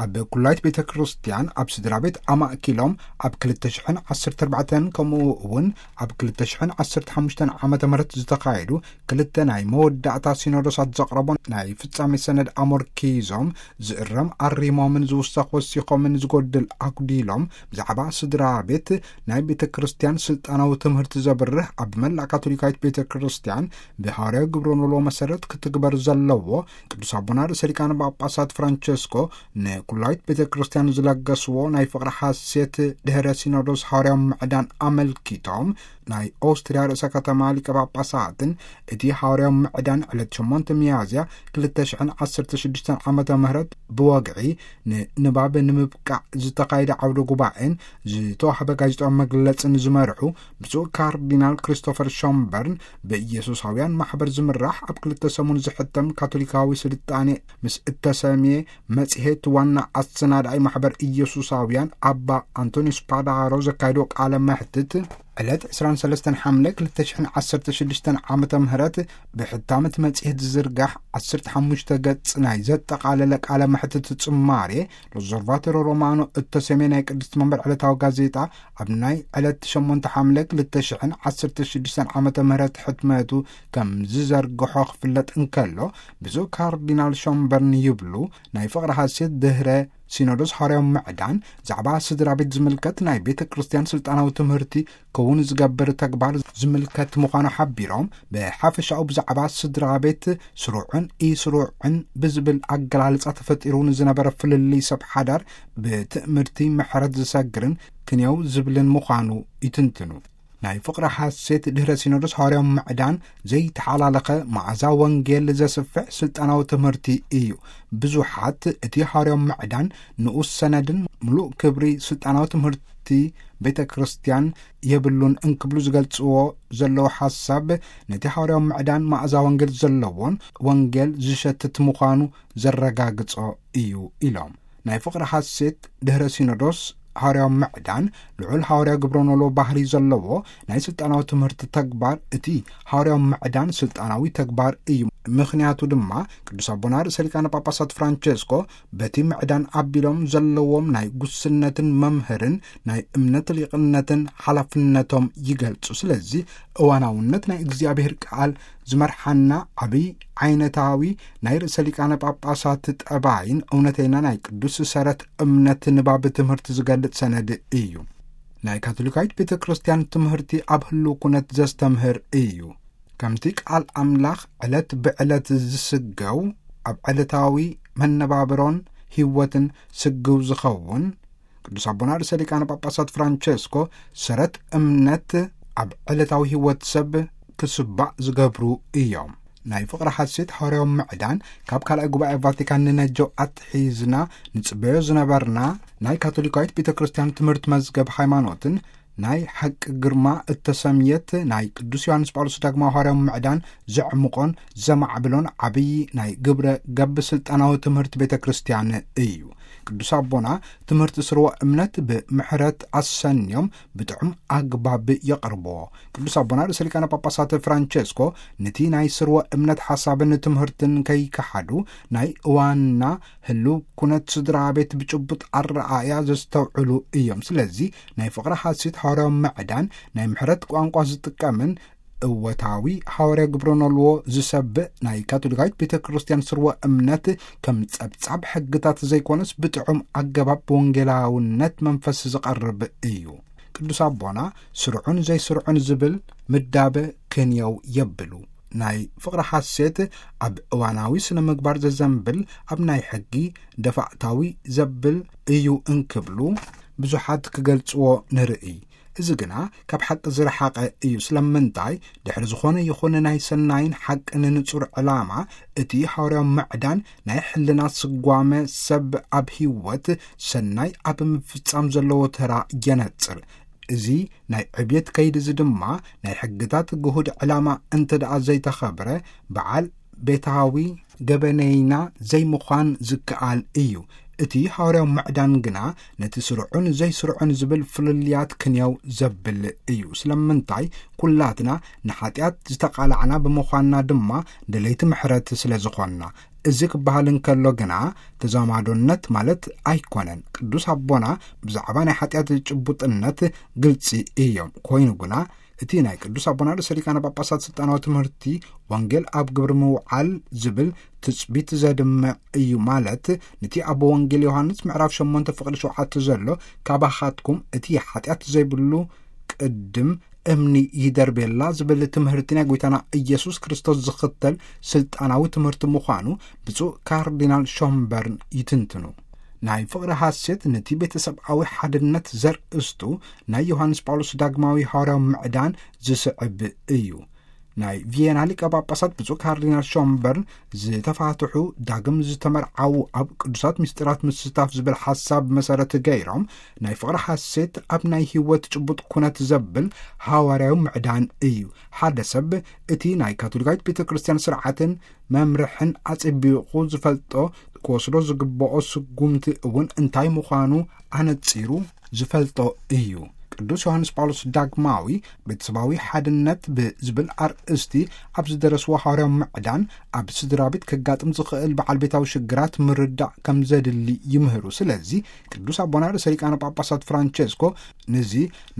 ኣብ ኩላይት ቤተ ክርስቲያን ኣብ ስድራ ቤት ኣማእኪሎም ኣብ ክልተ ሽሕን ዓሰርተ ኣርባዕተን ከምኡ እውን ኣብ ክልተ ሽሕን ዓሰርተ ሓሙሽተን ዓመተ ምህረት ዝተኻየዱ ክልተ ናይ መወዳእታ ሲኖዶሳት ዘቕረቦ ናይ ፍጻሜ ሰነድ ኣሞርኪዞም ዝእረም ኣሪሞምን ዝውሰኽ ወሲኾምን ዝጎድል ኣጉዲሎም ብዛዕባ ስድራ ቤት ናይ ቤተ ክርስቲያን ስልጣናዊ ትምህርቲ ዘብርህ ኣብ መላእ ካቶሊካዊት ቤተ ክርስቲያን ብሃዋርያዊ ግብረ ኖሎ መሰረት ክትግበር ዘለዎ ቅዱስ ኣቦና ርእሰ ሊቃነ ጳጳሳት ፍራንቸስኮ ንኩላዊት ቤተ ክርስቲያን ዝለገስዎ ናይ ፍቕሪ ሓሴት ድህረ ሲኖዶስ ሃዋርያዊ ምዕዳን ኣመልኪቶም ናይ ኦስትርያ ርእሰ ከተማ ሊቀ ጳጳሳትን እቲ ሃዋርያዊ ምዕዳን ዕለት ሸሞንተ ሚያዝያ ክልተ ሽሕን ዓሰርተ ሽዱሽተን ዓመተ ምህረት ብወግዒ ንንባብ ንምብቃዕ ዝተኻየደ ዓውደ ጉባኤን ዝተዋህበ ጋዜጣዊ መግለጽን ዝመርሑ ብፁዕ ካርዲናል ክሪስቶፈር ሾምበርን ብኢየሱሳውያን ማሕበር ዝምራሕ ኣብ ክልተ ሰሙን ዝሕተም ካቶሊካዊ ስልጣኔ ምስ እተሰምየ መጽሔት ዋና ኣሰናዳኢ ማሕበር ኢየሱሳውያን ኣባ ኣንቶኒዮስ ፓዳሮ ዘካየዶ ቃለ መሕትት ዕለት ዕስራን ሰለስተን ሓምለ ክልተ ሽሕን ዓሰርተ ሽዱሽተን ዓመተ ምህረት ብሕታመት መጽሔት ዝዝርጋሕ ዓሰርተ ሓሙሽተ ገጽ ናይ ዘጠቓለለ ቃለ መሕትት ጽማሬ ሎዘርቫቶሮ ሮማኖ እተሰምየ ናይ ቅድስቲ መንበር ዕለታዊ ጋዜጣ ኣብ ናይ ዕለት ሸሞንተ ሓምለ ክልተ ሽሕን ዓሰርተ ሽዱሽተን ዓመተ ምህረት ሕትመቱ ከም ዝዘርግሖ ክፍለጥ እንከሎ ብፁዕ ካርዲናል ሾምበርን ይብሉ ናይ ፍቕሪ ሓሴት ድህረ ሲኖዶስ ሃዋርያዊ ምዕዳን ዛዕባ ስድራ ቤት ዝምልከት ናይ ቤተ ክርስቲያን ስልጣናዊ ትምህርቲ ክውን ዝገብር ተግባር ዝምልከት ምዃኑ ሓቢሮም ብሓፈሻኡ ብዛዕባ ስድራ ቤት ስሩዕን ኢስሩዕን ብዝብል ኣገላልጻ ተፈጢሩ ንዝነበረ ፍልልይ ሰብ ሓዳር ብትእምርቲ ምሕረት ዝሰግርን ክንየው ዝብልን ምዃኑ ይትንትኑ። ናይ ፍቕሪ ሓሴት ድህረ ሲኖዶስ ሃዋርያዊ ምዕዳን ዘይተሓላለኸ መዓዛ ወንጌል ዘስፍሕ ስልጣናዊ ትምህርቲ እዩ። ብዙሓት እቲ ሃዋርያዊ ምዕዳን ንኡስ ሰነድን ምሉእ ክብሪ ስልጣናዊ ትምህርቲ ቤተ ክርስቲያን የብሉን እንክብሉ ዝገልጽዎ ዘለዉ ሓሳብ ነቲ ሃዋርያዊ ምዕዳን መዓዛ ወንጌል ዘለዎን ወንጌል ዝሸትት ምዃኑ ዘረጋግጾ እዩ ኢሎም። ናይ ፍቕሪ ሓሴት ድህረ ሲኖዶስ ሃዋርያዊ ምዕዳን ልዑል ሃዋርያ ግብረ ኖሎ ባህሪ ዘለዎ ናይ ስልጣናዊ ትምህርቲ ተግባር እቲ ሃዋርያዊ ምዕዳን ስልጣናዊ ተግባር እዩ። ምኽንያቱ ድማ ቅዱስ ኣቦና ርእሰ ሊቃነ ጳጳሳት ፍራንቸስኮ በቲ ምዕዳን ኣቢሎም ዘለዎም ናይ ጉስነትን መምህርን ናይ እምነት ሊቕነትን ሓላፍነቶም ይገልጹ። ስለዚ እዋናውነት ናይ እግዚኣብሔር ቃል ዝመርሓና ዓብይ ዓይነታዊ ናይ ርእሰ ሊቃነ ጳጳሳት ጠባይን እውነተይና ናይ ቅዱስ ሰረት እምነት ንባብ ትምህርቲ ዝገልጽ ሰነድ እዩ። ናይ ካቶሊካዊት ቤተ ክርስቲያን ትምህርቲ ኣብ ህልው ኩነት ዘስተምህር እዩ። ከምቲ ቃል ኣምላኽ ዕለት ብዕለት ዝስገው ኣብ ዕለታዊ መነባብሮን ህይወትን ስግው ዝኸውን ቅዱስ ኣቦና ርእሰ ሊቃነ ጳጳሳት ፍራንቸስኮ ሰረት እምነት ኣብ ዕለታዊ ህይወት ሰብ ክስባእ ዝገብሩ እዮም። ናይ ፍቕሪ ሓሴት ሃዋርያዊ ምዕዳን ካብ ካልኣይ ጉባኤ ቫቲካን ንነጀው ኣትሒዝና ንጽበዮ ዝነበርና ናይ ካቶሊካዊት ቤተ ክርስቲያን ትምህርቲ መዝገብ ሃይማኖትን ናይ ሓቂ ግርማ እተሰምየት ናይ ቅዱስ ዮሃንስ ጳውሎስ ዳግማዊ ሃዋርያዊ ምዕዳን ዘዕምቖን ዘማዕብሎን ዓብዪ ናይ ግብረ ገብ ስልጣናዊ ትምህርቲ ቤተ ክርስቲያን እዩ። ቅዱስ ኣቦና ትምህርቲ ስርወ እምነት ብምሕረት ኣሰንዮም ብጥዑም ኣግባብ የቕርብዎ። ቅዱስ ኣቦና ርእሰ ሊቃነ ጳጳሳት ፍራንቸስኮ ነቲ ናይ ስርወ እምነት ሓሳብን ትምህርትን ከይከሓዱ ናይ እዋንና ህልው ኩነት ስድራ ቤት ብጭቡጥ ኣረኣእያ ዘስተውዕሉ እዮም። ስለዚ ናይ ፍቕሪ ሓሴት ሃዋርያዊ ምዕዳን ናይ ምሕረት ቋንቋ ዝጥቀምን እወታዊ ሃዋርያ ግብረ ኖልዎ ዝሰብእ ናይ ካቶሊካዊት ቤተ ክርስቲያን ስርወ እምነት ከም ጸብጻብ ሕግታት ዘይኮነስ ብጥዑም ኣገባብ ብወንጌላውነት መንፈስ ዝቐርብ እዩ። ቅዱስ ኣቦና ስርዑን ዘይስርዑን ዝብል ምዳበ ክንየው የብሉ። ናይ ፍቕሪ ሓሴት ኣብ እዋናዊ ስነ ምግባር ዘዘንብል ኣብ ናይ ሕጊ ደፋእታዊ ዘብል እዩ እንክብሉ ብዙሓት ክገልጽዎ ንርኢ። እዚ ግና ካብ ሓቂ ዝረሓቐ እዩ። ስለምንታይ? ድሕሪ ዝኾነ ይኹን ናይ ሰናይን ሓቅን ንጹር ዕላማ፣ እቲ ሃዋርያዊ ምዕዳን ናይ ሕልና ስጓመ ሰብ ኣብ ህይወት ሰናይ ኣብ ምፍጻም ዘለዎ ተራ የነጽር። እዚ ናይ ዕብየት ከይዲ እዚ ድማ ናይ ሕግታት ግሁድ ዕላማ እንተ ደኣ ዘይተኸብረ፣ በዓል ቤታዊ ገበነይና ዘይምዃን ዝከኣል እዩ። እቲ ሃዋርያዊ ምዕዳን ግና ነቲ ስሩዕን ዘይስሩዕን ዝብል ፍልልያት ክንየው ዘብል እዩ። ስለምንታይ? ኩላትና ንሓጢኣት ዝተቓላዕና ብምዃንና ድማ ደለይቲ ምሕረት ስለ ዝኾንና። እዚ ክበሃል እንከሎ ግና ተዛማዶነት ማለት ኣይኮነን። ቅዱስ ኣቦና ብዛዕባ ናይ ሓጢኣት ጭቡጥነት ግልጺ እዮም። ኮይኑ ግና እቲ ናይ ቅዱስ ኣቦና ርእሰ ሊቃነ ጳጳሳት ስልጣናዊ ትምህርቲ ወንጌል ኣብ ግብሪ ምውዓል ዝብል ትጽቢት ዘድምዕ እዩ። ማለት ነቲ ኣብ ወንጌል ዮሃንስ ምዕራፍ ሸሞንተ ፍቕዲ ሸውዓተ ዘሎ፣ ካባኻትኩም እቲ ሓጢኣት ዘይብሉ ቅድም እምኒ ይደርቤላ ዝብል ትምህርቲ ናይ ጎይታና ኢየሱስ ክርስቶስ ዝኽተል ስልጣናዊ ትምህርቲ ምዃኑ ብፁዕ ካርዲናል ሾምበርን ይትንትኑ። ናይ ፍቕሪ ሃሴት ነቲ ቤተሰብኣዊ ሓድነት ዘርእስቱ ናይ ዮሃንስ ጳውሎስ ዳግማዊ ሃዋርያዊ ምዕዳን ዝስዕብ እዩ። ናይ ቪየና ሊቀ ጳጳሳት ብፁዕ ካርዲናል ሾምበርን ዝተፋትሑ ዳግም ዝተመርዓዉ ኣብ ቅዱሳት ምስጢራት ምስታፍ ዝብል ሓሳብ መሰረት ገይሮም ናይ ፍቕሪ ሓሴት ኣብ ናይ ህይወት ጭቡጥ ኩነት ዘብል ሃዋርያዊ ምዕዳን እዩ። ሓደ ሰብ እቲ ናይ ካቶሊካዊት ቤተ ክርስቲያን ስርዓትን መምርሕን ኣጸቢቑ ዝፈልጦ ክወስዶ ዝግብኦ ስጉምቲ እውን እንታይ ምዃኑ ኣነጺሩ ዝፈልጦ እዩ። ቅዱስ ዮሃንስ ጳውሎስ ዳግማዊ ቤተሰባዊ ሓድነት ብዝብል ኣርእስቲ ኣብ ዝደረስዎ ሃዋርያዊ ምዕዳን ኣብ ስድራ ቤት ከጋጥም ዝኽእል በዓል ቤታዊ ሽግራት ምርዳእ ከም ዘድሊ ይምህሩ። ስለዚ ቅዱስ ኣቦና ርእሰ ሊቃነ ጳጳሳት ፍራንቸስኮ ነዚ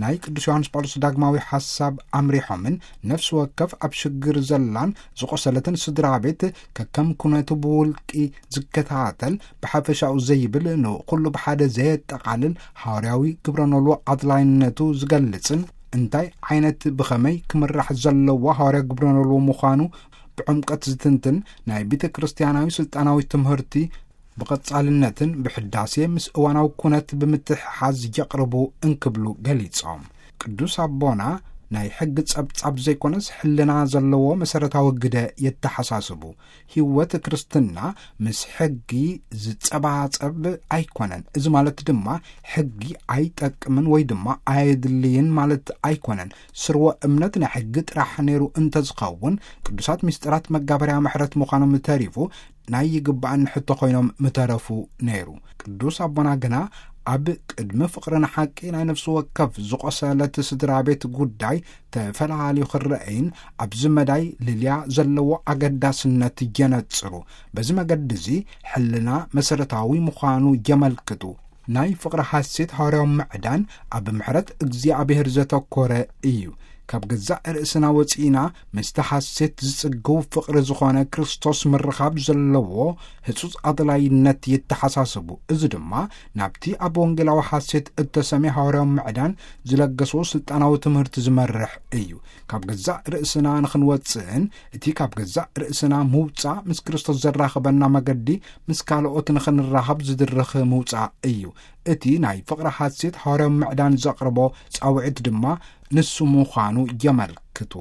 ናይ ቅዱስ ዮሃንስ ጳውሎስ ዳግማዊ ሓሳብ ኣምሪሖምን ነፍሲ ወከፍ ኣብ ሽግር ዘላን ዝቆሰለትን ስድራ ቤት ከከም ኩነቱ ብውልቂ ዝከታተል ብሓፈሻኡ ዘይብል ንኩሉ ብሓደ ዘየጠቓልል ሃዋርያዊ ግብረ ኖልዎ ኣድላይነቱ ዝገልጽን እንታይ ዓይነት ብኸመይ ክምራሕ ዘለዎ ሃዋርያ ግብረ ኖልዎ ምዃኑ ብዕምቀት ዝትንትን ናይ ቤተ ክርስቲያናዊ ስልጣናዊ ትምህርቲ ብቐጻልነትን ብሕዳሴ ምስ እዋናዊ ኩነት ብምትሕሓዝ የቕርቡ እንክብሉ ገሊጾም። ቅዱስ ኣቦና ናይ ሕጊ ጸብጻብ ዘይኮነስ ሕልና ዘለዎ መሰረታዊ ግደ የተሓሳስቡ። ህይወት ክርስትና ምስ ሕጊ ዝጸባጸብ ኣይኮነን። እዚ ማለት ድማ ሕጊ ኣይጠቅምን ወይ ድማ ኣየድልይን ማለት ኣይኮነን። ስርወ እምነት ናይ ሕጊ ጥራሕ ነይሩ እንተዝኸውን ቅዱሳት ምስጢራት መጋበርያ ምሕረት ምዃኖም ተሪፉ ናይ ይግባእን ሕቶ ኮይኖም ምተረፉ ነይሩ። ቅዱስ ኣቦና ግና ኣብ ቅድሚ ፍቕርን ሓቂ ናይ ነፍሲ ወከፍ ዝቆሰለት ስድራ ቤት ጉዳይ ተፈላልዩ ክረአይን ኣብዚ መዳይ ልልያ ዘለዎ ኣገዳስነት የነጽሩ። በዚ መገዲ እዚ ሕልና መሰረታዊ ምዃኑ የመልክቱ። ናይ ፍቕሪ ሓሴት ሃዋርያዊ ምዕዳን ኣብ ምሕረት እግዚኣብሔር ዘተኮረ እዩ። ካብ ገዛእ ርእስና ወጺእና ምስቲ ሓሴት ዝጽግው ፍቕሪ ዝኾነ ክርስቶስ ምርኻብ ዘለዎ ህጹጽ ኣድላይነት የተሓሳስቡ። እዚ ድማ ናብቲ ኣብ ወንጌላዊ ሓሴት እተሰምየ ሃዋርያዊ ምዕዳን ዝለገስዎ ስልጣናዊ ትምህርቲ ዝመርሕ እዩ። ካብ ገዛእ ርእስና ንኽንወጽእን እቲ ካብ ገዛእ ርእስና ምውጻእ ምስ ክርስቶስ ዘራኽበና መገዲ ምስ ካልኦት ንኽንራኸብ ዝድርኽ ምውጻእ እዩ። እቲ ናይ ፍቕሪ ሓሴት ሃዋርያዊ ምዕዳን ዘቕርቦ ጻውዒት ድማ ንሱ ምዃኑ የመልክቱ።